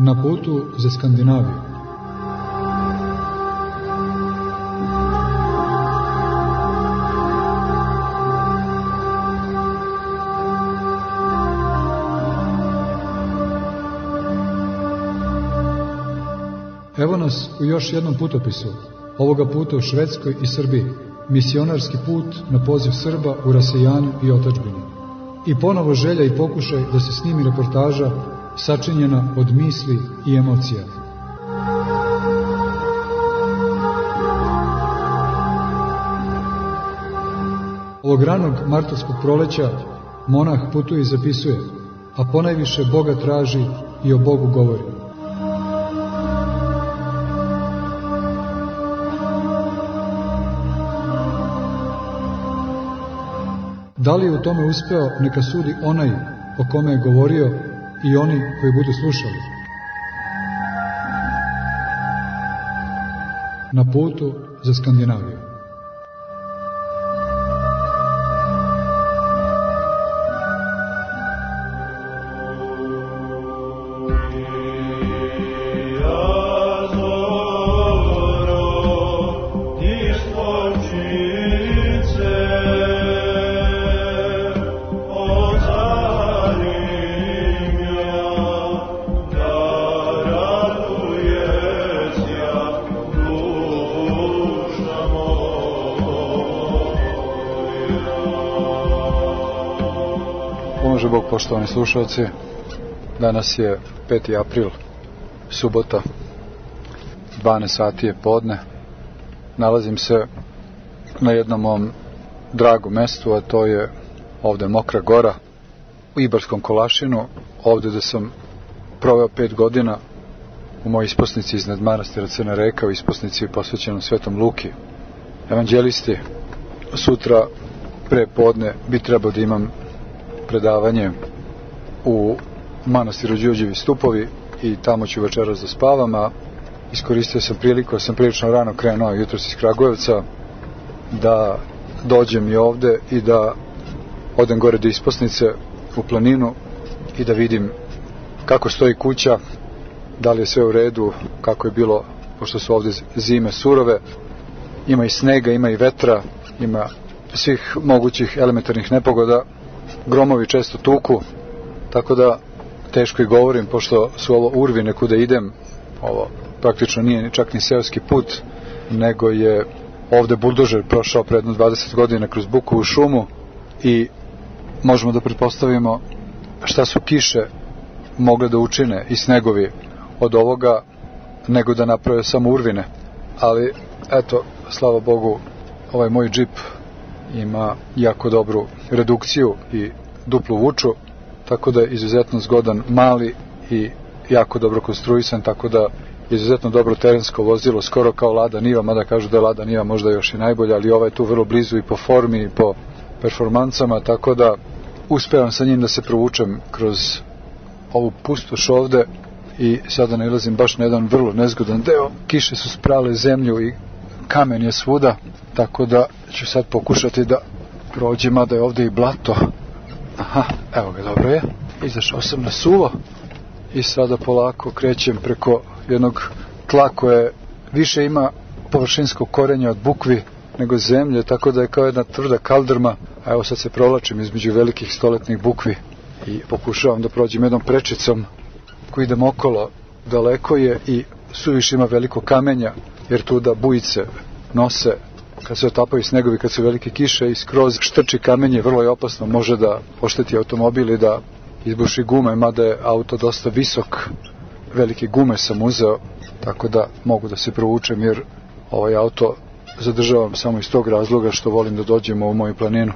Na putu za Skandinaviju. Evo nas u još jednom putopisu, ovoga puta u Švedskoj i Srbiji, misionarski put na poziv Srba u rasejanju i otadžbini. I ponovo želja i pokušaj da se snimi reportaža sačinjena od misli i emocija. Ovog ranog martovskog proleća monah putuje i zapisuje, a ponajviše Boga traži i o Bogu govori. Da li je u tome uspeo, neka sudi onaj o kome je govorio i oni koji budu slušali. Na putu za Skandinaviju. Pomože Bog, poštovani slušalci, danas je 5. april, subota, 12 sati je podne. Nalazim se na jednom mom dragom mestu, a to je ovde Mokra Gora, u Ibarskom Kolašinu, ovde da sam proveo 5 godina u mojoj isposnici iznad manastira Crna Reka, u isposnici posvećenom Svetom Luki, evanđelisti. Sutra pre podne bi trebao da imam predavanje u manastiru Đurđevi Stupovi i tamo ću večeras da spavam, a iskoristio sam priliku, sam prilično rano krenuo jutros iz Kragujevca, da dođem i ovde i da odem gore do isposnice u planinu i da vidim kako stoji kuća, da li je sve u redu, kako je bilo, pošto su ovde zime surove, ima i snega, ima i vetra, ima svih mogućih elementarnih nepogoda, gromovi često tuku, tako da teško i govorim, pošto su ovo urvine kuda idem. Ovo praktično nije čak ni seoski put, nego je ovde buldožer prošao pre jedno 20 godina kroz Bukovu šumu i možemo da pretpostavimo šta su kiše mogle da učine i snegovi od ovoga, nego da naprave samo urvine. Ali eto, slava Bogu, ovaj moj džip ima jako dobru redukciju i duplu vuču, tako da je izuzetno zgodan, mali i jako dobro konstruisan, tako da izuzetno dobro terensko vozilo, skoro kao Lada Niva, mada kažu da je Lada Niva možda još i najbolja, ali ovaj je tu vrlo blizu i po formi i po performancama, tako da uspevam sa njim da se provučem kroz ovu pustoš ovde i sada nailazim baš na jedan vrlo nezgodan deo. Kiše su sprale zemlju i kamen je svuda, tako da ću sad pokušati da prođem, mada je ovde i blato. Aha, evo ga, dobro je. Izašao sam na suvo i sada polako krećem preko jednog tla koje više ima površinskog korenja od bukvi nego zemlje, tako da je kao jedna tvrda kaldrma, a evo sad se provlačim između velikih stoletnih bukvi i pokušavam da prođem jednom prečicom koji idem okolo. Daleko je i suviše ima veliko kamenja, jer tu da bujice nose kad se otapaju snegovi, kad su velike kiše i skroz štrči kamenje, vrlo je opasno, može da ošteti automobil i da izbuši gume, mada je auto dosta visok, velike gume sam uzeo, tako da mogu da se provučem, jer ovaj auto zadržavam samo iz tog razloga što volim da dođem u moju planinu.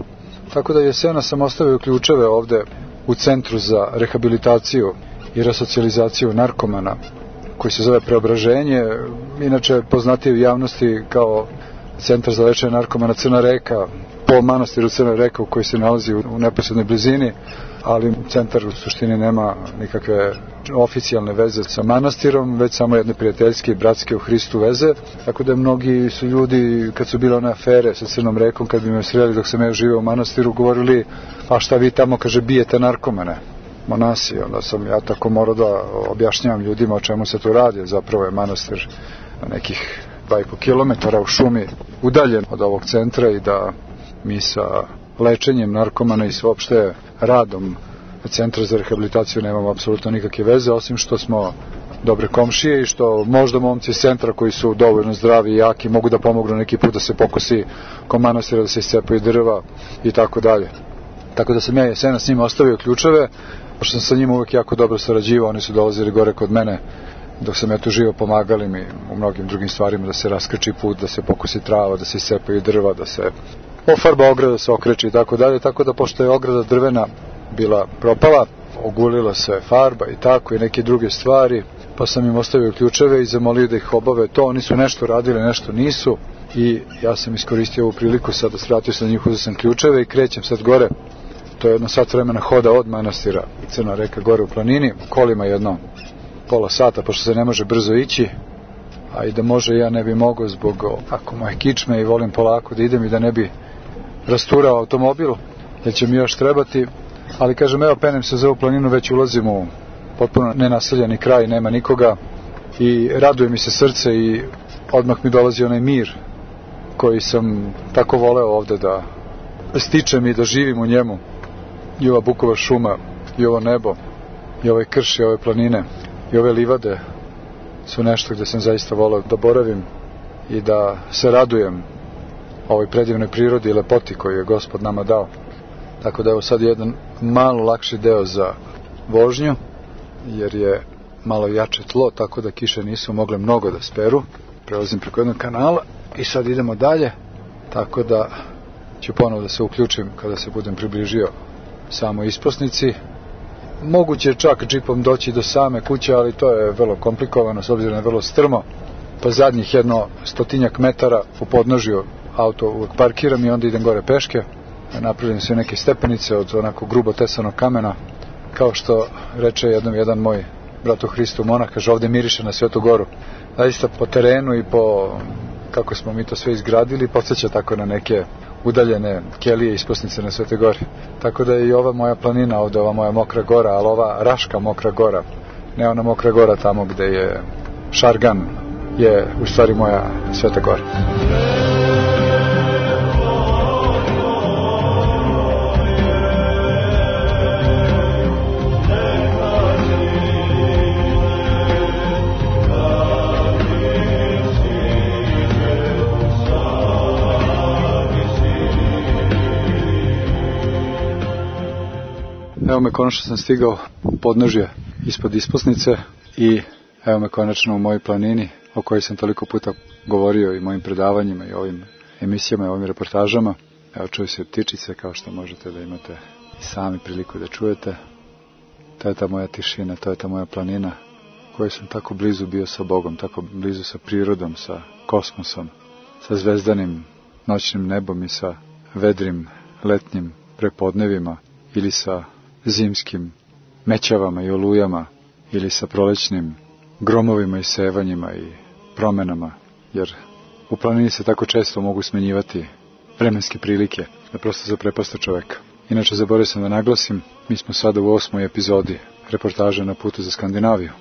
Tako da jesena sam ostavio ključeve ovde u centru za rehabilitaciju i resocijalizaciju narkomana, koji se zove Preobraženje, inače poznatiji u javnosti kao centar za lečenje narkomana Crna Reka, po manastiru Crna Reka u koji se nalazi u neposrednoj blizini, ali centar u suštini nema nikakve oficijalne veze sa manastirom, već samo jedne prijateljske i bratske u Hristu veze, tako da mnogi su ljudi, kad su bile one afere sa Crnom Rekom, kad bi me sreli dok sam ja živeo u manastiru, govorili, a šta vi tamo, kaže, bijete narkomane. monasi. Onda sam ja tako morao da objašnjavam ljudima o čemu se tu radi. Zapravo je manastir nekih 2,5 kilometara u šumi udaljen od ovog centra i da mi sa lečenjem narkomana i uopšte radom centra za rehabilitaciju nemamo apsolutno nikakve veze, osim što smo dobre komšije i što možda momci iz centra koji su dovoljno zdravi i jaki mogu da pomognu neki put da se pokosi ko manastira, da se iscepaju drva i tako dalje. Tako da sam ja jesena s njima ostavio ključeve, pošto sam sa njima uvek jako dobro sarađivao, oni su dolazili gore kod mene dok sam ja tu živo, pomagali mi u mnogim drugim stvarima, da se raskrči put, da se pokosi trava, da se iscepaju drva, da se ofarba ograda, da se okreči i tako dalje. Tako da pošto je ograda drvena bila propala, ogulila se farba i tako i neke druge stvari, pa sam im ostavio ključeve i zamolio da ih obave to. Oni su nešto radili, nešto nisu i ja sam iskoristio ovu priliku, sada svratio sam njih, uzeo sam ključeve i krećem sad gore. To je jedno sat vremena hoda od manastira Crna Reka gore u planini, kolima jedno pola sata, pošto se ne može brzo ići, a i da može ja ne bi mogao zbog ako moje kičme i volim polako da idem i da ne bi rasturao automobil, jer će mi još trebati, ali kažem, evo penem se za ovu planinu, već ulazim u potpuno nenaseljeni kraj, nema nikoga i raduje mi se srce i odmah mi dolazi onaj mir koji sam tako voleo ovde da stičem i da živim u njemu. I ova bukova šuma, i ovo nebo, i ovaj krš, i ove planine, i ove livade su nešto gde sam zaista voleo da boravim i da se radujem ovoj predivnoj prirodi i lepoti koju je Gospod nama dao. Tako da evo sad jedan malo lakši deo za vožnju, jer je malo jače tlo, tako da kiše nisu mogle mnogo da speru. Prelazim preko jednog kanala i sad idemo dalje, tako da ću ponovo da se uključim kada se budem približio samoj isposnici. Moguće je čak džipom doći do same kuće, ali to je vrlo komplikovano s obzirom da je vrlo strmo, pa zadnjih jedno 100 metara u podnožju auto uvek parkiram i onda idem gore peške. Napravljene su neke stepenice od onako grubo tesanog kamena, kao što reče jedan moj brat u Hristu monah, kaže, ovde miriše na Svetu Goru. Zaista po terenu i po kako smo mi to sve izgradili, podsjeća tako na neke udaljene kelije i isposnice na Svete Gori. Tako da je i ova moja planina ovde, ova moja Mokra Gora, ali ova Raška Mokra Gora, ne ona Mokra Gora tamo gde je Šargan, je u stvari moja Sveta Gora. Evo me, konačno sam stigao u podnožje ispod isposnice i evo me konačno u mojoj planini o kojoj sam toliko puta govorio i mojim predavanjima i ovim emisijama i ovim reportažama. Evo, čuju se ptičice, kao što možete da imate i sami priliku da čujete. To je ta moja tišina, to je ta moja planina kojoj sam tako blizu bio sa Bogom, tako blizu sa prirodom, sa kosmosom, sa zvezdanim noćnim nebom i sa vedrim letnjim prepodnevima ili sa zimskim mećavama i olujama ili sa prolećnim gromovima i sevanjima i promenama, jer u planini se tako često mogu smenjivati vremenske prilike da prosto zaprepaste čoveka. Inače, zaboravio sam da naglasim, mi smo sada u 8. epizodi reportaže na putu za Skandinaviju.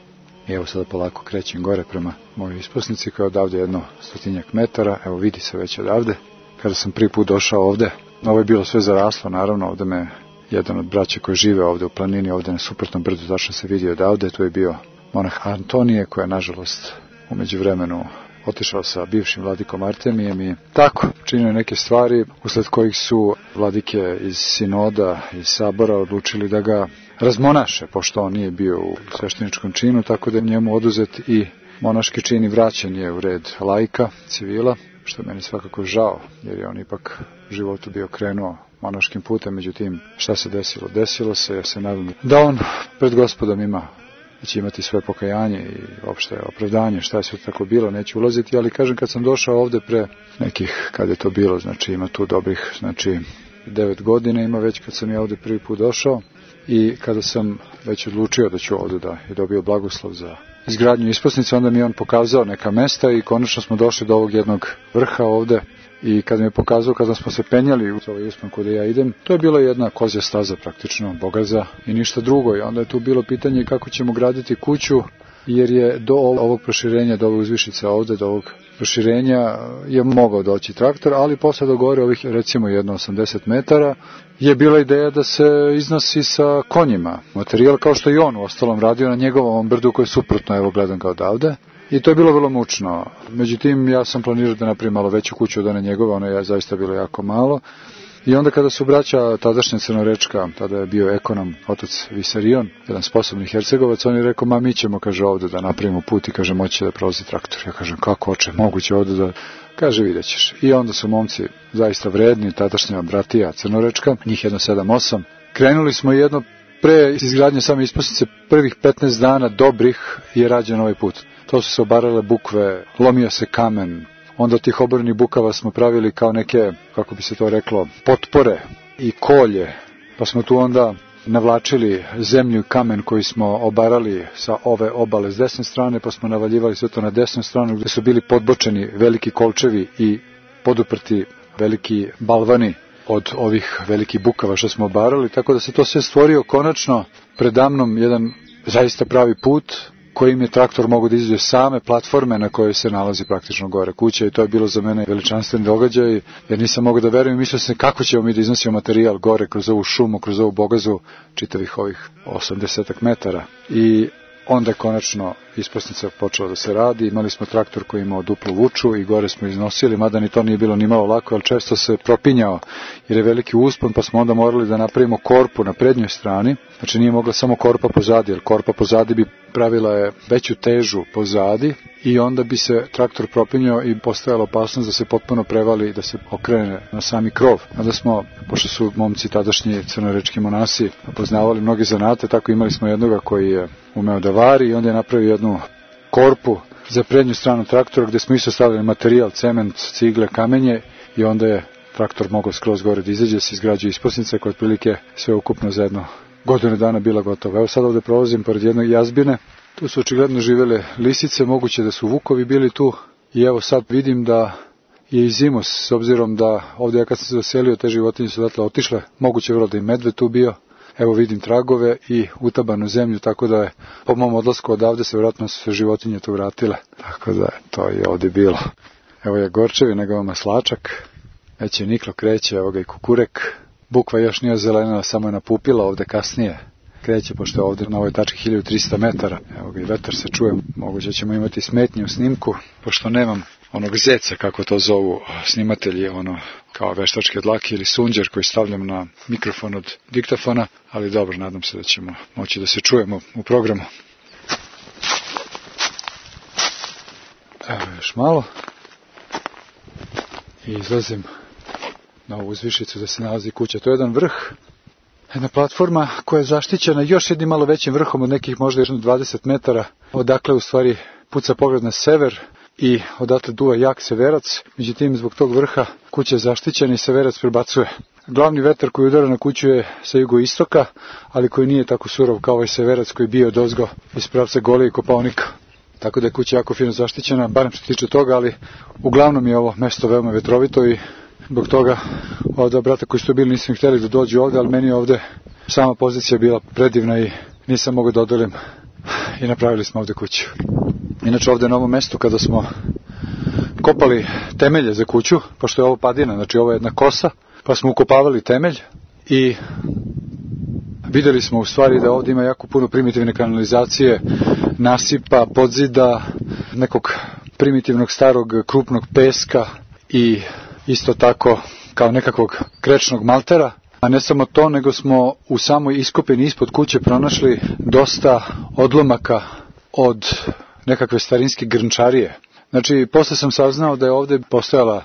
I evo sada polako krećem gore prema mojoj isposnici koja je odavde jedno 100 metara, evo vidi se već odavde. Kada sam prvi put došao ovde, ovo je bilo sve zaraslo, naravno, ovde me jedan od braća koji žive ovde u planini, ovde na suprotnom brdu, tačno se vidi odavde, tu je bio monah Antonije, koja je nažalost u međuvremenu otišao sa bivšim vladikom Artemijem i tako činio neke stvari usled kojih su vladike iz sinoda, iz sabora odlučili da ga razmonaše, pošto on nije bio u svešteničkom činu, tako da je njemu oduzet i monaški čin i vraćen je u red laika, civila, što je meni svakako žao, jer je on ipak u životu bio krenuo monaškim putem. Međutim, šta se desilo? Desilo se, ja se nadam da on pred Gospodom da će imati svoje pokajanje i opšte opravdanje, šta je sve tako bilo, neću ulaziti, ali kažem, kad sam došao ovde pre nekih, kad je to bilo, znači ima tu dobrih, 9 godina ima već kad sam ja ovde prvi put došao i kada sam već odlučio da ću ovde da je dobio blagoslov za izgradnju isposnice, onda mi je on pokazao neka mesta i konačno smo došli do ovog jednog vrha ovde i kad mi je pokazao, kada smo se penjali u ovaj uspon kuda ja idem, to je bila jedna kozja staza praktično, bogaza i ništa drugo. I onda je tu bilo pitanje kako ćemo graditi kuću, jer je do ovog proširenja, do ovog uzvišica ovde, do ovog proširenja je mogao doći traktor, ali posle do gore ovih recimo 1,80 metara je bila ideja da se iznosi sa konjima. Materijal kao što i on u ostalom radio na njegovom brdu koji je suprotno, evo gledam ga odavde. I to je bilo vrlo mučno. Međutim, ja sam planirao da napravim malo veću kuću od one njegove, ona je zaista bilo jako malo. I onda kada su braća tadašnja Crnorečka, tada je bio ekonom, otac Visarion, jedan sposobni Hercegovac, on je rekao, ma mi ćemo, kaže, ovde da napravimo put i kaže, moći da prolazi traktor. Ja kažem, kako oče, moguće ovde da... Kaže, vidjet ćeš. I onda su momci zaista vredni, tadašnja bratija Crnorečka, njih 1,7-8. Krenuli smo jedno pre izgradnje same isposnice, prvih 15 dana dobrih je rađen ovaj put. To su se obarale bukve, lomio se kamen. Onda od tih oborenih bukava smo pravili kao neke, kako bi se to reklo, potpore i kolje. Pa smo tu onda navlačili zemlju i kamen koji smo obarali sa ove obale s desne strane, pa smo navaljivali sve to na desnu stranu gdje su bili podbočeni veliki kolčevi i poduprti veliki balvani od ovih velikih bukava što smo obarali. Tako da se to sve stvorio konačno predamnom jedan zaista pravi put kojim je traktor mogu da izađe same platforme na kojoj se nalazi praktično gore kuća i to je bilo za mene veličanstven događaj jer nisam mogao da verujem i mislio sam kako ćemo mi da iznosimo materijal gore kroz ovu šumu, kroz ovu bogazu čitavih ovih 80 metara i onda je konačno isposnica počela da se radi, imali smo traktor koji imao duplu vuču i gore smo iznosili, mada ni to nije bilo ni malo lako, ali često se propinjao jer je veliki uspon, pa smo onda morali da napravimo korpu na prednjoj strani, znači nije mogla samo korpa pozadi, jer korpa pozadi bi pravila je veću težu pozadi i onda bi se traktor propinjao i postojala opasnost da se potpuno prevali i da se okrene na sami krov. Onda smo, pošto su momci tadašnji crnorečki monasi poznavali mnoge zanate, tako imali smo jednoga koji je umeo da vari i onda je napravio jednu korpu za prednju stranu traktora gdje smo isto stavili materijal, cement, cigle, kamenje i onda je traktor mogao skroz gore da izađe, se izgrađuje isposnica koja otprilike sve ukupno za jedno godinu dana bila gotova. Evo sad ovdje prolazim pored jednog jazbine, tu su očigledno živele lisice, moguće da su vukovi bili tu i evo sad vidim da je i zimus, s obzirom da ovdje ja kad sam se doselio te životinje su odatle otišle, moguće vrlo da i medved tu bio. Evo vidim tragove i utabanu zemlju, tako da je po mom odlasku odavde se vjerojatno su se životinje tu vratile. Tako da to je ovdje bilo. Evo je Gorčevi, nego maslačak, već je niklo kreće, evo ga i kukurek. Bukva još nije zelenila, samo je napupila ovdje kasnije. Kreće, pošto je ovdje na ovoj tački 1300 metara. Evo ga i vetar se čuje, moguće ćemo imati smetnje u snimku, pošto nemam onog zeca, kako to zovu snimatelji, ono kao veštačke dlake ili sunđer koji stavljam na mikrofon od diktafona, ali dobro, nadam se da ćemo moći da se čujemo u programu. Evo još malo i izlazim na ovu uzvišicu da se nalazi kuća. To je jedan vrh, jedna platforma koja je zaštićena još jednim malo većim vrhom od nekih možda još 20 metara, odakle u stvari puca pogled na sever i odatle duva jak severac, međutim zbog tog vrha kuća je zaštićena i severac prebacuje. Glavni vetar koji udara na kuću je sa jugoistoka, ali koji nije tako surov kao ovaj severac koji bio odozgo iz pravca Golije i Kopaonika. Tako da je kuća jako fino zaštićena, barem što se tiče toga, ali uglavnom je ovo mesto veoma vetrovito i zbog toga ovdje brata koji su tu bili nisam htjeli da dođu ovdje, ali meni je ovdje sama pozicija bila predivna i nisam mogao da odolim i napravili smo ovdje kuću. Inače ovdje na ovom mjestu kada smo kopali temelje za kuću, pošto je ovo padina, znači ovo je jedna kosa, pa smo ukopavali temelj i vidjeli smo u stvari da ovdje ima jako puno primitivne kanalizacije, nasipa, podzida, nekog primitivnog starog krupnog peska i isto tako kao nekakvog krečnog maltera. A ne samo to, nego smo u samoj iskopini ispod kuće pronašli dosta odlomaka od nekakve starinske grnčarije. Znači, posle sam saznao da je ovdje postojala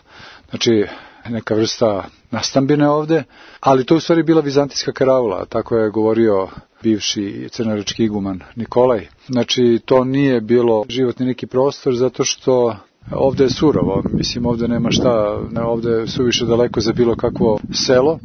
neka vrsta nastambine ovdje, ali to je u stvari bila vizantijska karavula, tako je govorio bivši crnorečki iguman Nikolaj. Znači, to nije bilo životni neki prostor, zato što ovdje je surovo, mislim ovdje nema šta, ovdje je suviše daleko za bilo kakvo selo,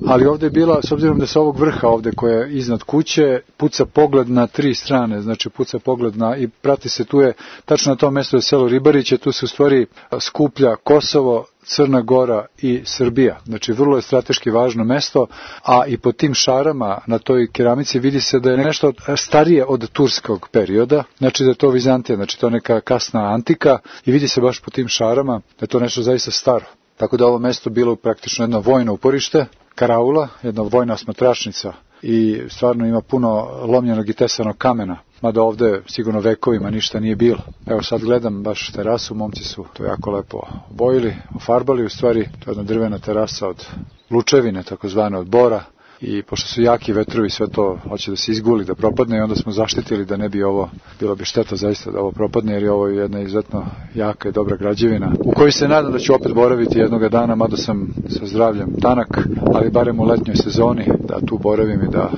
ali ovdje je bila, s obzirom da se ovog vrha ovdje koje je iznad kuće, puca pogled na 3 strane, znači puca pogled i prati se, tu je, tačno na tom mjestu je selo Ribariće, tu se u stvari skuplja Kosovo, Crna Gora i Srbija. Znači vrlo je strateški važno mesto, a i po tim šarama na toj keramici vidi se da je nešto starije od turskog perioda, znači da je to Vizantija, znači to je neka kasna antika i vidi se baš po tim šarama da je to nešto zaista staro. Tako da ovo mesto bilo praktično jedno vojno uporište, karaula, jedna vojna osmatračnica i stvarno ima puno lomljenog i tesanog kamena, mada ovde sigurno vekovima ništa nije bilo. Evo sad gledam baš terasu, momci su to jako lepo obojili, ofarbali, u stvari to je jedna drvena terasa od lučevine, takozvane od bora, i pošto su jaki vetrovi sve to hoće da se izguli, da propadne i onda smo zaštitili da ne bi ovo, bilo bi šteta zaista da ovo propadne jer je ovo jedna izuzetno jaka i dobra građevina u kojoj se nadam da ću opet boraviti jednoga dana, mada sam sa zdravljem tanak, ali barem u letnjoj sezoni da tu boravim i da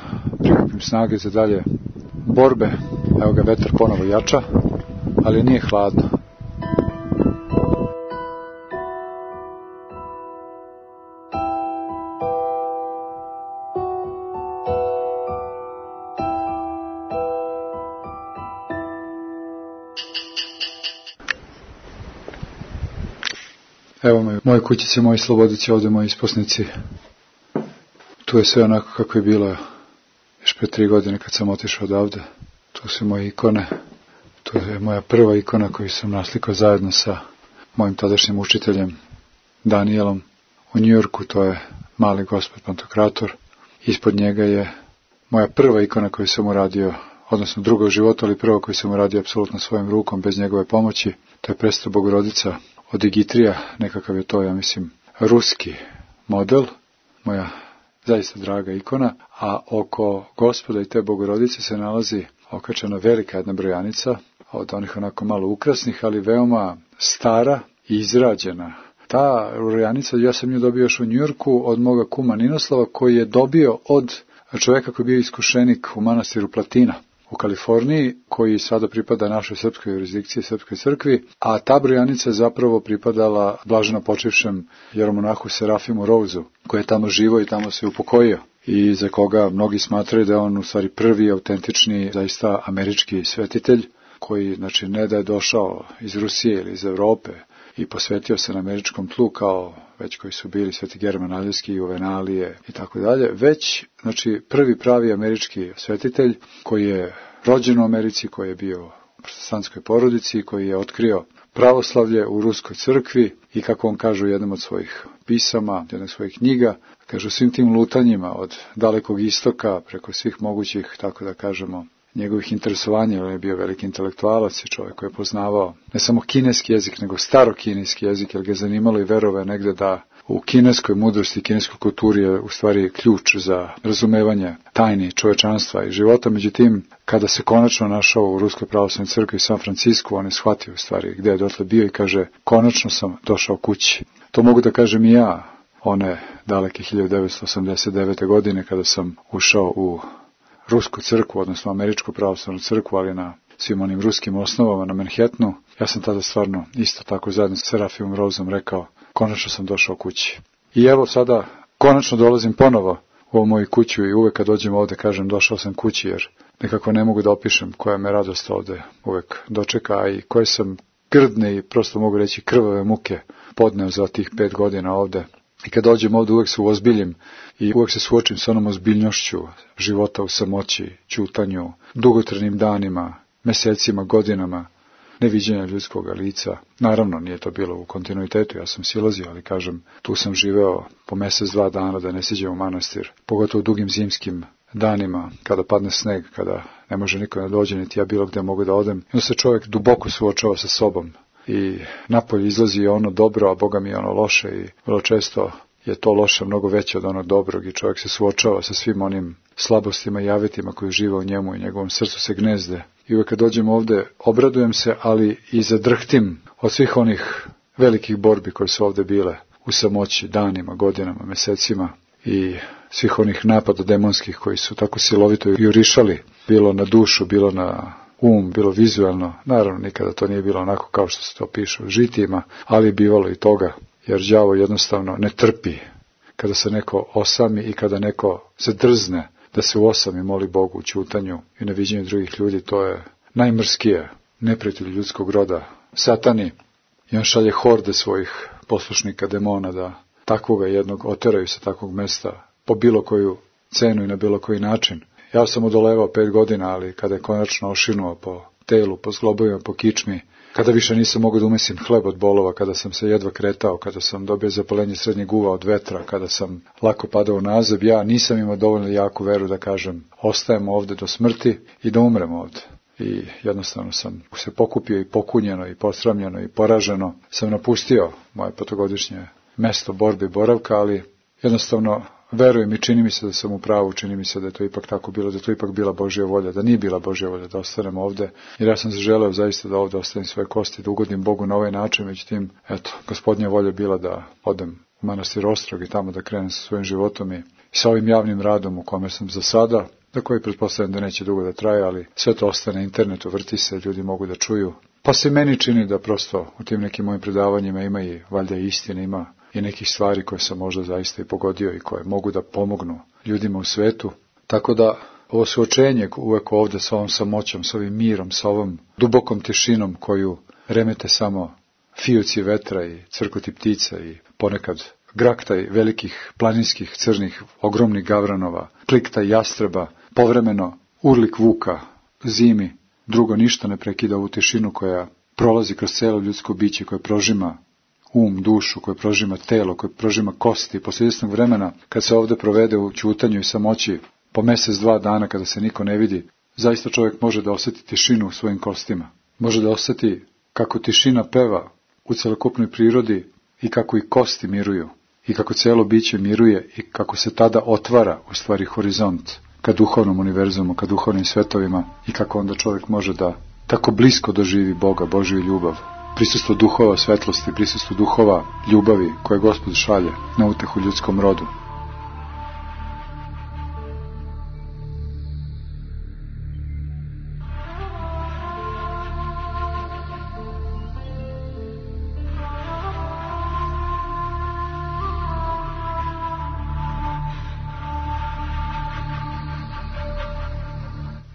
prikupim snage za dalje borbe. Evo ga, vetar ponovo jača, ali nije hladno. Evo me, moje kućice, moji slobodici, ovdje moji isposnici. Tu je sve onako kako je bilo još pre 3 godine kad sam otišao odavde. Tu su moje ikone. Tu je moja prva ikona koju sam naslikao zajedno sa mojim tadašnjim učiteljem Danielom u Njujorku. To je mali gospod Pantokrator. Ispod njega je moja prva ikona koju sam uradio, odnosno druga u životu, ali prva koju sam uradio apsolutno svojim rukom, bez njegove pomoći. To je Prestara Bogorodica od Digitrija, nekakav je to, ja mislim, ruski model, moja zaista draga ikona, a oko Gospoda i te Bogorodice se nalazi okačena velika jedna brojanica, od onih onako malo ukrasnih, ali veoma stara i izrađena. Ta brojanica, ja sam nju dobio još u Njujorku od moga kuma Ninoslava, koji je dobio od čoveka koji je bio iskušenik u manastiru Platina u Kaliforniji, koji sada pripada našoj srpskoj jurisdikciji, srpskoj crkvi, a ta brojanica je zapravo pripadala blaženo počivšem jeromonahu Serafimu Rouzu, koji je tamo živo i tamo se upokojio i za koga mnogi smatraju da je on u stvari prvi autentični, zaista američki svetitelj, koji, znači, ne da je došao iz Rusije ili iz Evrope i posvetio se na američkom tlu kao već koji su bili Sveti German Aljevski, Juvenalije i tako dalje, već, znači, prvi pravi američki svetitelj koji je rođen u Americi, koji je bio u protestantskoj porodici, koji je otkrio pravoslavlje u ruskoj crkvi i, kako on kaže u jednom od svojih pisama, jednog svojih knjiga, kaže, svim tim lutanjima od dalekog istoka preko svih mogućih, tako da kažemo, njegovih interesovanja, on je bio veliki intelektualac i čovjek koji je poznavao ne samo kineski jezik, nego starokineski jezik, jer ga je zanimalo i verove negde da u kineskoj mudrosti i kineskoj kulturi je u stvari ključ za razumevanje tajni čovečanstva i života. Međutim, kada se konačno našao u Ruskoj pravoslavnoj crkvi u San Francisku, on je shvatio u stvari gdje je dotle bio i kaže, konačno sam došao kući. To mogu da kažem i ja, one daleke 1989. godine kada sam ušao u Rusku crkvu, odnosno Američku pravoslavnu crkvu, ali na svim onim ruskim osnovama na Manhattanu. Ja sam tada stvarno isto tako zajedno sa Serafimom Rouzom rekao, konačno sam došao kući. I evo sada, konačno dolazim ponovo u ovu moju kuću i uvek kad dođem ovde kažem došao sam kući, jer nekako ne mogu da opišem koja me radost ovde uvek dočeka, a i koje sam grdne i prosto mogu reći krvave muke podneo za tih 5 godina ovde. I kad dođem ovde uvek se uozbiljim i uvek se suočim sa onom ozbiljnošću života u samoći, ćutanju, dugotrajnim danima, mesecima, godinama, neviđenja ljudskog lica. Naravno, nije to bilo u kontinuitetu, ja sam silazio, ali kažem, tu sam živeo po mesec, 2 dana da ne siđem u manastir, pogotovo u dugim zimskim danima, kada padne sneg, kada ne može niko da dođe, niti ja bilo gde mogu da odem. I onda se čovjek duboko suočava sa sobom i napolje izlazi ono dobro, a Boga mi je ono loše i vrlo često je to loše mnogo veće od onog dobrog i čovjek se suočava sa svim onim slabostima i javetima koji žive u njemu i njegovom srcu se gnezde. I uvek kad dođem ovde obradujem se, ali i zadrhtim od svih onih velikih borbi koje su ovde bile u samoći, danima, godinama, mesecima i svih onih napada demonskih koji su tako silovito jurišali, bilo na dušu, bilo na bilo vizualno. Naravno, nikada to nije bilo onako kao što se to piše u žitijima, ali je bivalo i toga, jer đavo jednostavno ne trpi kada se neko osami i kada neko se drzne da se uosami, moli Bogu u ćutanju i na viđenju drugih ljudi. To je najmrskije neprijatelj ljudskog roda, satani, i on šalje horde svojih poslušnika demona da takvoga jednog oteraju sa takvog mesta po bilo koju cenu i na bilo koji način. Ja sam odolevao 5 godina, ali kada je konačno ošinuo po telu, po zglobovima, po kičmi, kada više nisam mogao da umesim hleb od bolova, kada sam se jedva kretao, kada sam dobio zapalenje srednjeg uva od vetra, kada sam lako padao nazad, ja nisam imao dovoljno jaku veru da kažem ostajem ovde do smrti i da umrem ovde. I jednostavno sam se pokupio i pokunjeno i posramljeno i poraženo sam napustio moje 5-godišnje mesto borbe i boravka, ali jednostavno verujem i čini mi se da sam u pravu, čini mi se da je to ipak tako bilo, da je to ipak bila Božja volja, da nije bila Božja volja da ostanem ovde, jer ja sam zaželeo zaista da ovde ostavim svoje kosti, da ugodim Bogu na ovaj način, međutim, eto, Gospodnja volja je bila da odem u manastir Ostrog i tamo da krenem sa svojim životom i sa ovim javnim radom u kome sam za sada, da koji pretpostavljam da neće dugo da traje, ali sve to ostane na internetu, vrti se, ljudi mogu da čuju. Pa se meni čini da prosto u tim nekim mojim predavanjima ima i valjda istine, ima i nekih stvari koje sam možda zaista i pogodio i koje mogu da pomognu ljudima u svetu. Tako da ovo suočenje uvek ovde sa ovom samoćom, sa ovim mirom, sa ovom dubokom tišinom koju remete samo fijuci vetra i crkoti ptica i ponekad graktaj velikih planinskih crnih ogromnih gavranova, kliktaj jastreba, povremeno urlik vuka, zimi, drugo ništa ne prekida ovu tišinu koja prolazi kroz celo ljudsko biće, koje prožima dušu, koje prožima telo, koje prožima kosti. Posle izvesnog vremena, kad se ovde provede u ćutanju i samoći, po 1-2 dana kada se niko ne vidi, zaista čovjek može da osjeti tišinu u svojim kostima. Može da osjeti kako tišina peva u celokupnoj prirodi i kako i kosti miruju, i kako celo biće miruje i kako se tada otvara u stvari horizont ka duhovnom univerzumu, ka duhovnim svetovima i kako onda čovjek može da tako blisko doživi Boga, Božju ljubav. Prisustvo duhova svetlosti, prisustvo duhova ljubavi koje Gospod šalje na utehu ljudskom rodu.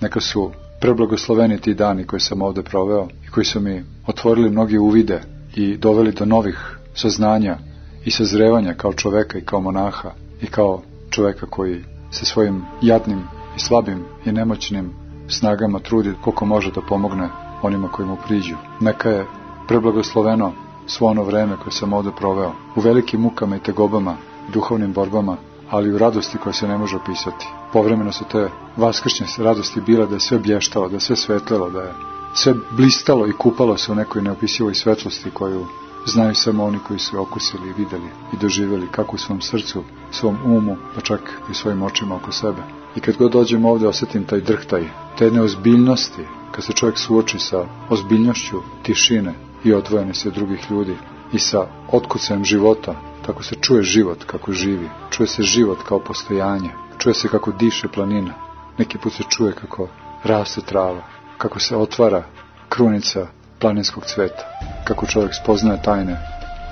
Neka su preblagosloveni ti dani koje sam ovde proveo i koji su mi otvorili mnoge uvide i doveli do novih saznanja i sazrevanja kao čoveka i kao monaha i kao čoveka koji se svojim jadnim i slabim i nemoćnim snagama trudi koliko može da pomogne onima koji mu priđu. Neka je preblagosloveno svo ono vreme koje sam ovde proveo u velikim mukama i tegobama, duhovnim borbama, ali u radosti koja se ne može opisati. Povremeno su te vaskršnje radosti bile da je sve blještalo, da je sve svetlelo, da je sve blistalo i kupalo se u nekoj neopisivoj svetlosti koju znaju samo oni koji su okusili i videli i doživjeli kako u svom srcu, svom umu, pa čak i svojim očima oko sebe. I kad god dođem ovde osjetim taj drhtaj, te jedne ozbiljnosti, kad se čovjek suoči sa ozbiljnošću tišine i odvojene se drugih ljudi i sa otkucajem života, tako se čuje život kako živi, čuje se život kao postojanje, čuje se kako diše planina, neki put se čuje kako raste trava, kako se otvara krunica planinskog cveta, kako čovjek spoznaje tajne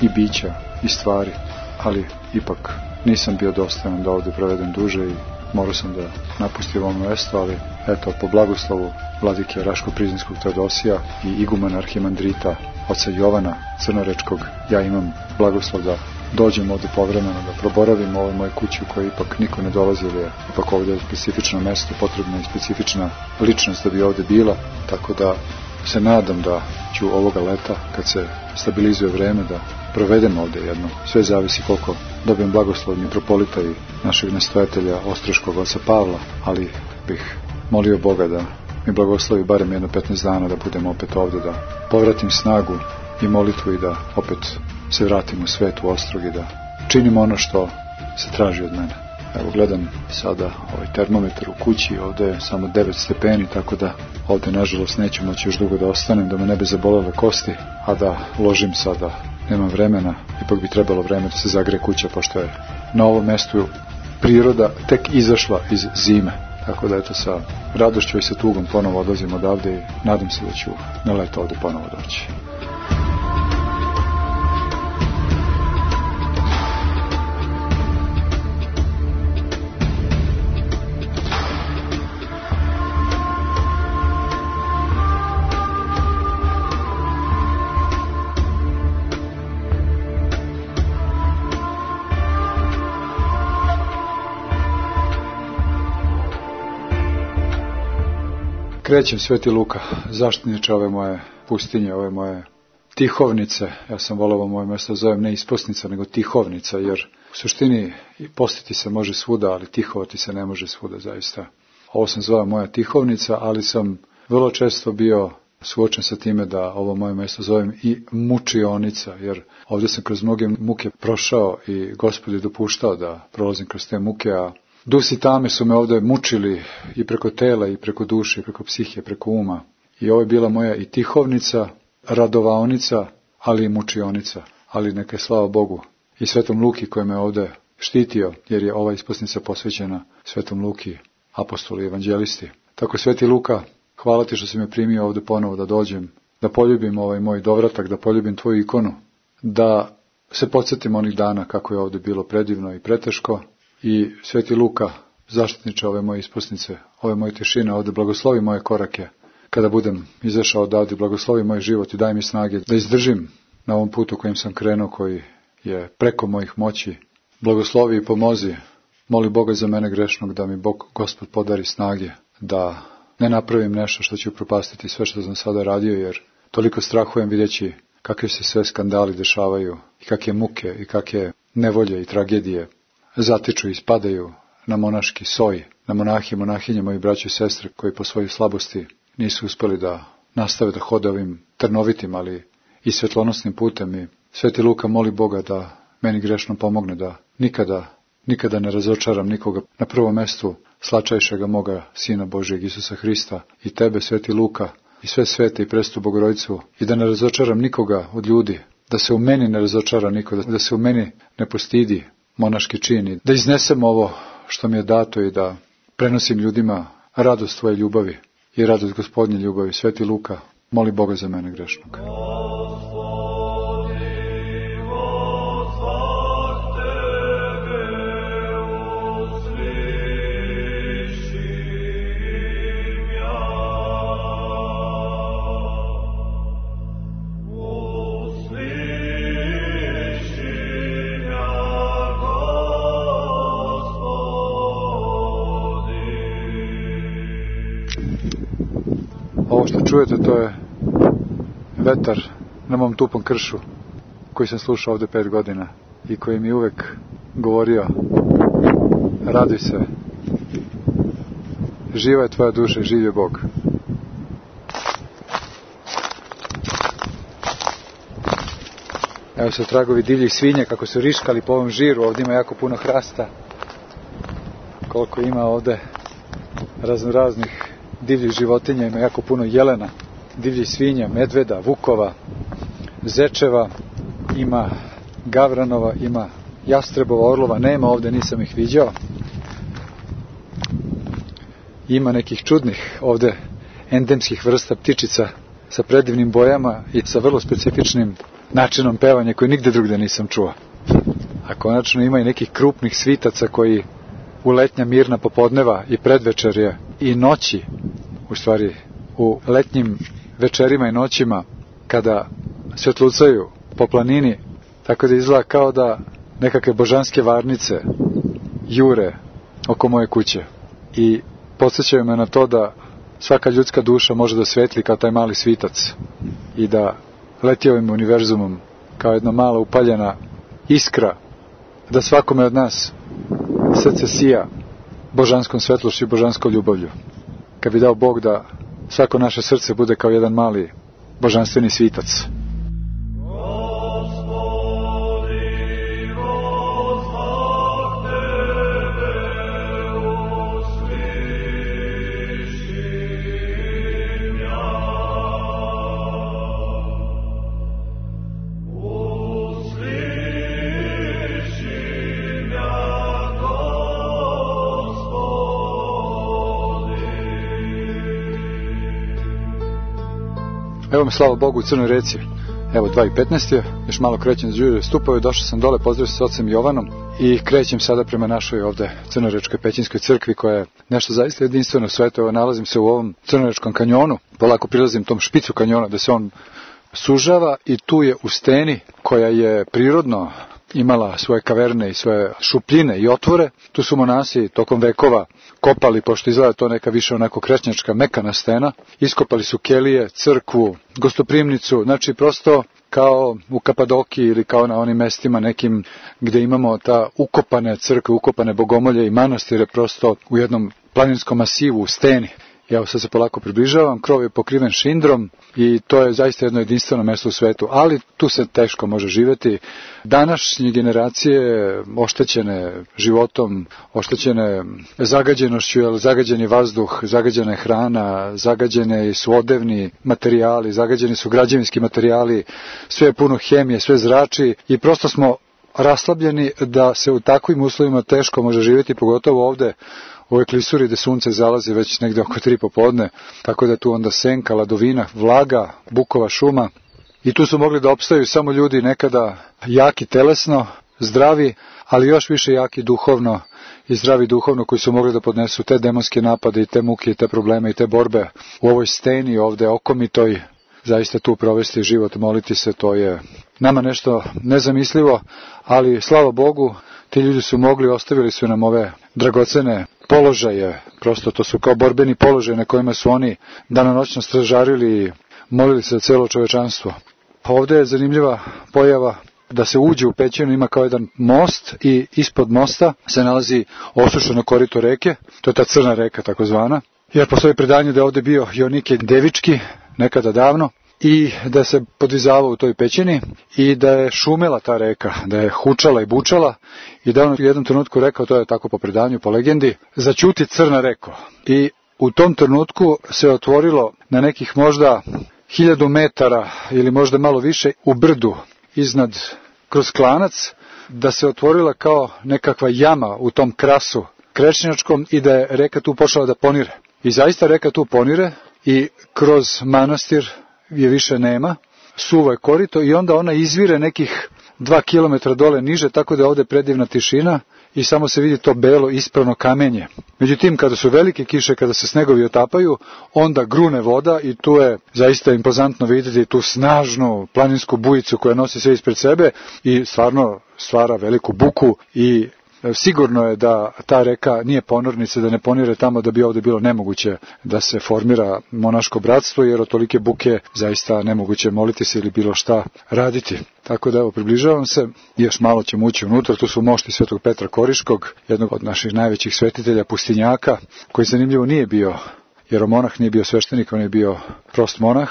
i bića i stvari, ali ipak nisam bio dostojan da ovdje provedem duže i morao sam da napustim ovo mjesto, ali eto, po blagoslovu vladike Raško-Prizinskog Teodosija i igumana arhimandrita oca Jovana Crnorečkog, ja imam blagoslov da dođem ovdje povremeno, da proboravim u ovoj moje kući u kojoj ipak niko ne dolazi, jer je ipak ovdje specifično mesto, potrebna i specifična ličnost da bi ovdje bila, tako da se nadam da ću ovoga leta, kad se stabilizuje vreme, da provedem ovdje jedno. Sve zavisi koliko dobijem blagoslov mitropolita i našeg nastojatelja Ostroškog oca Pavla, ali bih molio Boga da mi blagoslovi barem jedno 15 dana da budem opet ovdje, da povratim snagu i molitvu i da opet se vratim u svet, u Ostrog i da činim ono što se traži od mene. Evo, gledam sada ovaj termometar u kući, ovdje je samo 9 stepeni, tako da ovdje nažalost neću moći još dugo da ostanem, da me ne bi zabolele kosti, a da ložim sada, nemam vremena, ipak bi trebalo vreme da se zagreje kuća, pošto je na ovom mjestu priroda tek izašla iz zime. Tako da eto, sa radošću i sa tugom ponovo odlazim odavde i nadam se da ću na leto ovdje ponovo doći. Krećem, Sveti Luka, zaštitniče ove moje pustinje, ove moje tihovnice. Ja sam voleo ovo moje mjesto zovem ne isposnica, nego tihovnica, jer u suštini postiti se može svuda, ali tihovati se ne može svuda, zaista. Ovo sam zvao moja tihovnica, ali sam vrlo često bio suočen sa time da ovo moje mjesto zovem i mučionica, jer ovdje sam kroz mnoge muke prošao i Gospod je dopuštao da prolazim kroz te muke, a dusi tame su me ovdje mučili i preko tela, i preko duše, i preko psihe, preko uma. I ovo je bila moja i tihovnica, radovaonica, ali i mučionica. Ali neka je slava Bogu i Svetom Luki koji me ovdje štitio, jer je ova isposnica posvećena Svetom Luki, apostolu i evanđelisti. Tako, Sveti Luka, hvala ti što si me primio ovdje ponovo da dođem, da poljubim ovaj moj dovratak, da poljubim tvoju ikonu, da se podsjetim onih dana kako je ovdje bilo predivno i preteško. I Sveti Luka, zaštitniče ove moje isposnice, ove moje tišine, ovdje blagoslovi moje korake. Kada budem izašao odavde, blagoslovi moj život i daj mi snage da izdržim na ovom putu kojim sam krenuo, koji je preko mojih moći. Blagoslovi i pomozi. Moli Boga za mene grešnog da mi Bog, Gospod, podari snage, da ne napravim nešto što će upropastiti sve što sam sada radio, jer toliko strahujem vidjeći kakve se sve skandali dešavaju i kakve muke i kakve nevolje i tragedije zatiču i spadaju na monaški soj, na monahi i monahinje, moji braći i sestre, koji po svojoj slabosti nisu uspjeli da nastave da hode ovim trnovitim, ali i svjetlonosnim putem. I Sveti Luka moli Boga da meni grešno pomogne, da nikada ne razočaram nikoga, na prvom mjestu slačajšega moga Sina Božijeg Isusa Hrista, i tebe, Sveti Luka, i sve svete i Presvetu Bogorodicu, i da ne razočaram nikoga od ljudi, da se u meni ne razočara niko, da se u meni ne postidi monaški čin, da iznesem ovo što mi je dato i da prenosim ljudima radost tvoje ljubavi i radost Gospodnje ljubavi. Sveti Luka, moli Boga za mene grešnog. Ovo što čujete, to je vetar na mom tupom kršu koji sam slušao ovdje 5 godina i koji mi uvek govorio: raduj se, živa je tvoja duša, živ je Bog. Evo se tragovi divljih svinja kako su riškali po ovom žiru. Ovdje ima jako puno hrasta, koliko ima ovdje raznoraznih divljih životinja, ima jako puno jelena, divljih svinja, medveda, vukova, zečeva, ima gavranova, ima jastrebova, orlova, nema ovdje, nisam ih viđao. Ima nekih čudnih ovdje endemskih vrsta ptičica sa predivnim bojama i sa vrlo specifičnim načinom pevanja koji nigde drugdje nisam čuo. A konačno ima i nekih krupnih svitaca koji u letnja mirna popodneva i predvečerje i noći, u stvari u letnjim večerima i noćima, kada svjetlucaju po planini, tako da izgleda kao da nekakve božanske varnice jure oko moje kuće i podsjećaju me na to da svaka ljudska duša može da svetli kao taj mali svitac i da leti ovim univerzumom kao jedna mala upaljena iskra, da svakome od nas srce sija božanskom svetlošću i božanskom ljubavlju. Kad bi dao Bog da svako naše srce bude kao jedan mali božanstveni svitac. Evo me, slava Bogu, u Crnoj Reci. Evo 2:15, još malo krećem za Đurđeve stupove, došao sam dole, pozdravio se s ocem Jovanom i krećem sada prema našoj ovde Crnorečkoj Pećinskoj crkvi, koja je nešto zaista jedinstveno u svetu. Evo, nalazim se u ovom Crnorečkom kanjonu, polako prilazim tom špicu kanjona da se on sužava i tu je u steni, koja je prirodno imala svoje kaverne i svoje šupljine i otvore. Tu su monasi tokom vekova kopali, pošto izgleda to neka više onako krečnjačka mekana stena. Iskopali su kelije, crkvu, gostoprimnicu, znači prosto kao u Kapadokiji ili kao na onim mestima nekim gde imamo ta ukopane crkve, ukopane bogomolje i manastire prosto u jednom planinskom masivu u steni. Evo sad se polako približavam, krov je pokriven šindrom i to je zaista jedno jedinstveno mesto u svetu, ali tu se teško može živjeti. Današnje generacije oštećene životom, oštećene zagađenošću, jer zagađen je vazduh, zagađena je hrana, zagađene su odevni materijali, zagađeni su građevinski materijali, sve je puno hemije, sve zrači i prosto smo raslabljeni da se u takvim uslovima teško može živjeti, pogotovo ovde u ovoj klisuri gde sunce zalazi već negde oko 3 popodne, tako da tu onda senka, ladovina, vlaga, bukova šuma i tu su mogli da opstaju samo ljudi nekada jaki telesno, zdravi, ali još više jaki duhovno i zdravi duhovno koji su mogli da podnesu te demonske napade i te muke i te probleme i te borbe u ovoj steni ovde okomitoj. Zaista tu provesti život, moliti se, to je nama nešto nezamislivo, ali slava Bogu, ti ljudi su mogli, ostavili su nam ove dragocene položaje, prosto to su kao borbeni položaje na kojima su oni danonoćno stražarili i molili se za celo čovečanstvo. Pa ovde je zanimljiva pojava da se uđe u pećinu, ima kao jedan most i ispod mosta se nalazi osušeno korito reke, to je ta crna reka takozvana, jer postoji predanje da je ovde bio Jonike Devički, nekada davno, i da se podvizavao u toj pećini i da je šumela ta reka, da je hučala i bučala i da on u jednom trenutku rekao, to je tako po predanju, po legendi, zaćuti crna reko. I u tom trenutku se otvorilo na nekih možda 1000 metara ili možda malo više u brdu iznad kroz klanac, da se otvorila kao nekakva jama u tom krasu krečnjačkom i da je reka tu počela da ponire. I zaista reka tu ponire i kroz manastir je više nema, suvo je korito i onda ona izvire nekih 2 kilometra dole niže, tako da je ovde predivna tišina i samo se vidi to belo ispravno kamenje. Međutim, kada su velike kiše, kada se snegovi otapaju, onda grune voda i tu je zaista impozantno vidjeti tu snažnu planinsku bujicu koja nosi sve ispred sebe i stvarno stvara veliku buku i sigurno je da ta reka nije ponornica, da ne ponire tamo, da bi ovde bilo nemoguće da se formira monaško bratstvo, jer od tolike buke zaista nemoguće moliti se ili bilo šta raditi. Tako da evo, približavam se, još malo ćemo ući unutra, tu su mošti Svetog Petra Koriškog, jednog od naših najvećih svetitelja, pustinjaka, koji zanimljivo nije bio jeromonah, nije bio sveštenik, on je bio prost monah,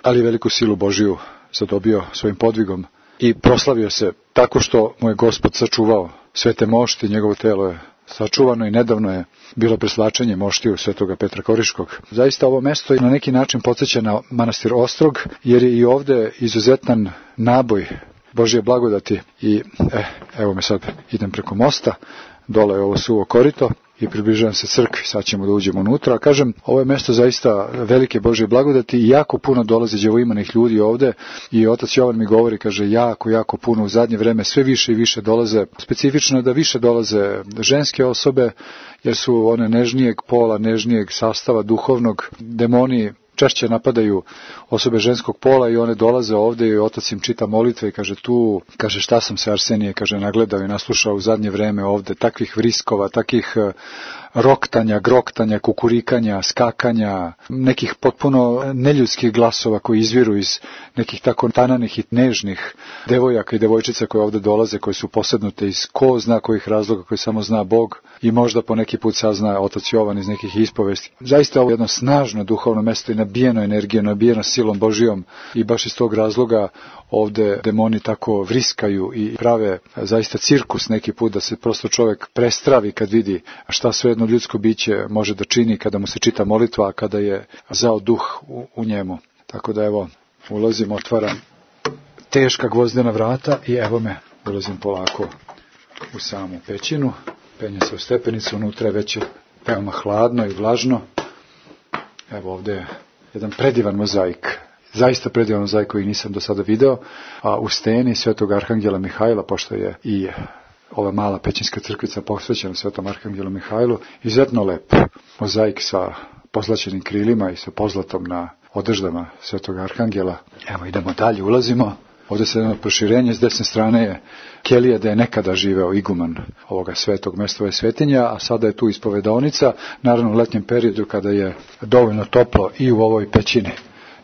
ali veliku silu Božiju zadobio svojim podvigom i proslavio se tako što mu je Gospod sačuvao svete mošti, njegovo telo je sačuvano i nedavno je bilo preslačenje moštiju Svetoga Petra Koriškog. Zaista ovo mesto na neki način podsjeća na manastir Ostrog, jer je i ovde izuzetan naboj Božje blagodati i evo me sad, idem preko mosta, dole je ovo suvo korito i približavam se crkvi, sad ćemo da uđemo unutra. Kažem, ovo je mesto zaista velike Božje blagodati i jako puno dolaze đevoimanih ljudi ovde i otac Jovan mi govori, kaže, jako puno u zadnje vreme, sve više i više dolaze, specifično da više dolaze ženske osobe, jer su one nežnijeg pola, nežnijeg sastava duhovnog, demoni češće napadaju osobe ženskog pola i one dolaze ovde i otac im čita molitve i kaže šta sam se Arsenije, kaže, nagledao i naslušao u zadnje vreme ovde, takvih vriskova, takih roktanja, groktanja, kukurikanja, skakanja, nekih potpuno neljudskih glasova koji izviru iz nekih tako tananih i nežnih devojaka i devojčica koje ovde dolaze, koje su posednute iz ko zna kojih razloga, koji samo zna Bog i možda po neki put sazna otac Jovan iz nekih ispovesti. Zaista ovo je jedno snažno duhovno mesto i nabijeno energijom, nabijeno silom Božijom i baš iz tog razloga ovde demoni tako vriskaju i prave zaista cirkus neki put da se prosto čovek prestravi kad vidi šta sve jedno ljudsko biće može da čini kada mu se čita molitva, a kada je zao duh u njemu. Tako da evo, ulazim, otvaram teška gvozdena vrata i evo me, ulazim polako u samu pećinu, penje se u stepenicu, unutra je već veoma hladno i vlažno. Evo ovde je jedan predivan mozaik, zaista predivan mozaik koji nisam do sada video, a u steni Svetog Arhangela Mihajla, pošto je i ova mala pećinska crkvica posvećena Svetom Arhangelu Mihajlu, izuzetno lep mozaik sa pozlaćenim krilima i sa pozlatom na odeždama Svetog Arhangela. Evo idemo dalje, ulazimo Ovdje se jedno proširenje, s desne strane je kelija da je nekada živeo iguman ovoga svetog mesta, ove svetinja, a sada je tu ispovedaonica, naravno u letnjem periodu kada je dovoljno toplo i u ovoj pećini.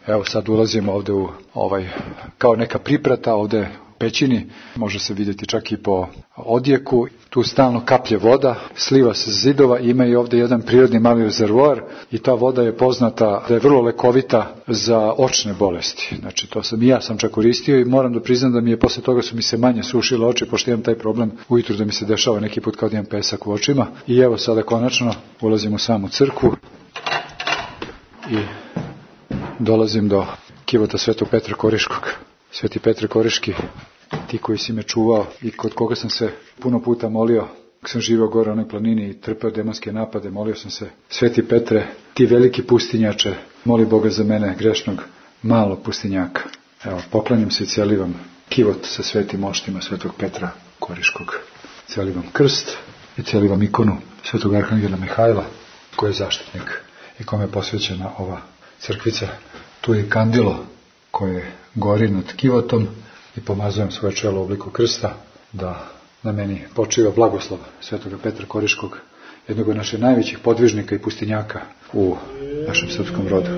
Evo sad ulazimo ovdje u kao neka priprata ovdje pećini, može se vidjeti čak i po odjeku, tu stalno kaplje voda, sliva se s zidova, ima i ovdje jedan prirodni mali rezervoar i ta voda je poznata da je vrlo lekovita za očne bolesti. Znači to sam i ja sam čak koristio i moram da priznam da mi je posle toga su mi se manje sušile oči, pošto imam taj problem ujutru da mi se dešava neki put kao da imam pesak u očima. I evo sada konačno ulazim u samu crkvu i dolazim do kivota Svetog Petra Koriškog. Sveti Petre Koriški, ti koji si me čuvao i kod koga sam se puno puta molio, kad sam živio gore u onoj planini i trpeo demonske napade, molio sam se, Sveti Petre, ti veliki pustinjače, moli Boga za mene, grešnog, malo pustinjaka. Evo, poklanjam se i celivam kivot sa svetim moštima Svetog Petra Koriškog. Celivam krst i celivam ikonu Svetog Arhangela Mihajla, koji je zaštitnik i kome je posvećena ova crkvica. Tu je kandilo koje gori nad kivotom i pomazujem svoje čelo u obliku krsta da na meni počiva blagoslov Svetoga Petra Koriškog, jednog od naših najvećih podvižnika i pustinjaka u našem srpskom rodu.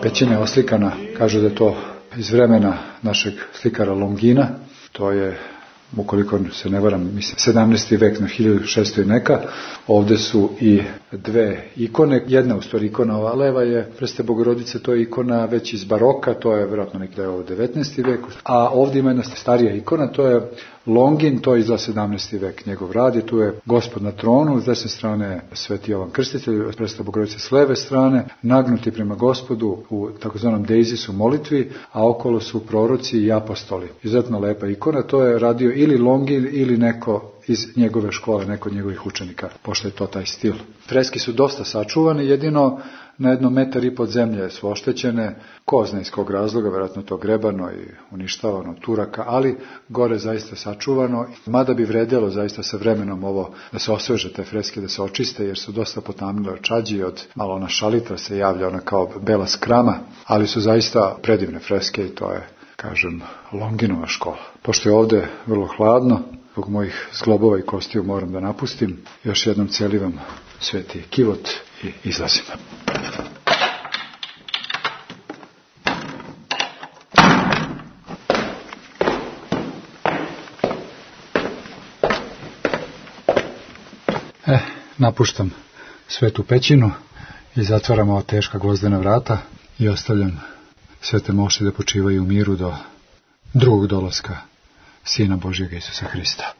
Pećina je oslikana, kažu da je to iz vremena našeg slikara Longina, to je, ukoliko se ne varam, mislim, 17. vek na 1600 i neka. Ovdje su i dve ikone, jedna u stvari ikona, ova leva je Preste Bogorodice, to je ikona već iz baroka, to je vjerojatno nekada u 19. veku, a ovdje ima jedna starija ikona, to je Longin, to je iz 17. vek njegov rad i tu je Gospod na tronu, s desne strane Sveti Jovan Krstitelj, Presta Bogorodice s leve strane, nagnuti prema Gospodu u takozvanom deizisu molitvi, a okolo su proroci i apostoli. Izuzetno lepa ikona, to je radio ili Longin ili neko iz njegove škole, neko od njegovih učenika, pošto je to taj stil. Freski su dosta sačuvane, jedino na 1,5 metra pod zemlje su oštećene, ko zna iz kog razloga, vjerojatno to grebano i uništavano Turaka, ali gore zaista sačuvano, mada bi vredjelo zaista sa vremenom ovo da se osveže te freske, da se očiste, jer su dosta potamnile od čađi, od malo ona šalitra se javlja, ona kao bela skrama, ali su zaista predivne freske i to je, kažem, Longinova škola. Pošto je ovdje vrlo hladno, zbog mojih zglobova i kostiju moram da napustim, još jednom celivam sveti kivot i izlazim. Napuštam svetu pećinu i zatvaram ova teška gvozdena vrata i ostavljam svete moši da počivaju u miru do drugog dolaska Sina Božjega Isusa Hrista.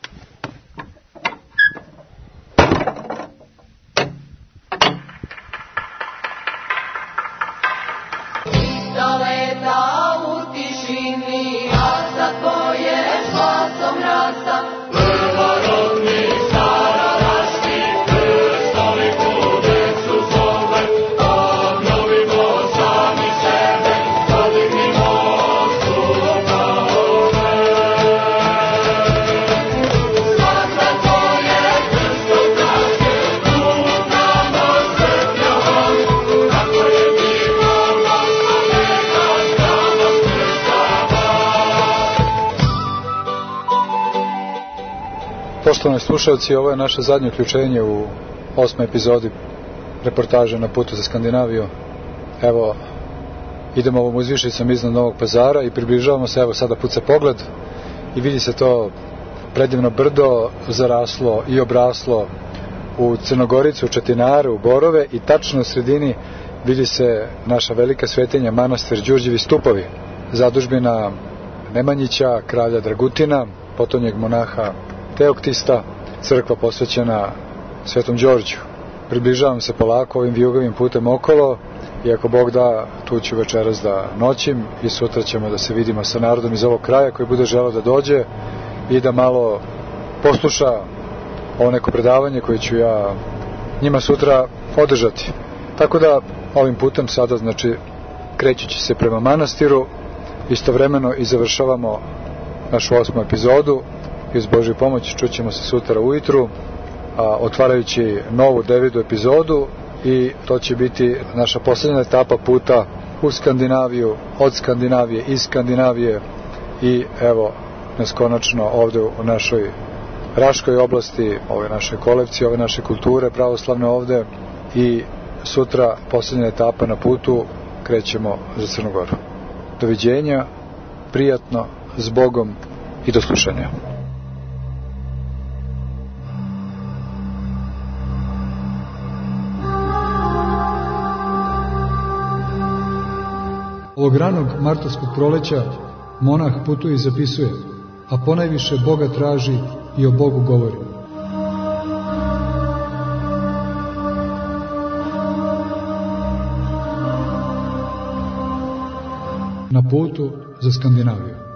Poštovani slušalci, ovo je naše zadnje uključenje u 8. epizodi reportaže na putu za Skandinaviju. Evo, idemo ovom uzvišicom iznad Novog Pazara i približavamo se, evo sada puca pogled i vidi se to predivno brdo zaraslo i obraslo u Crnogoricu, u Četinaru, u Borove i tačno u sredini vidi se naša velika svetinja, manastir Đurđevi stupovi, zadužbina Nemanjića, kralja Dragutina, potonjeg monaha Teoktista, crkva posvećena Svetom Đorđu. Približavam se polako ovim vijugovim putem okolo i ako Bog da, tu ću večeras da noćim i sutra ćemo da se vidimo sa narodom iz ovog kraja koji bude želeo da dođe i da malo posluša ovo neko predavanje koje ću ja njima sutra održati. Tako da ovim putem sada, znači, krećući se prema manastiru, istovremeno i završavamo našu 8. epizodu i uz Božju pomoć čućemo se sutra ujutru, otvarajući novu 9. epizodu, i to će biti naša posljednja etapa puta u Skandinaviju, od Skandinavije, iz Skandinavije, i evo nas konačno ovde u našoj Raškoj oblasti, ove naše kolekcije, ove naše kulture pravoslavne ovde, i sutra posljednja etapa na putu, krećemo za Crnu Goru. Doviđenja, prijatno, s Bogom i do slušanja. Ovog ranog martovskog proleća monah putuje i zapisuje, a ponajviše Boga traži i o Bogu govori. Na putu za Skandinaviju.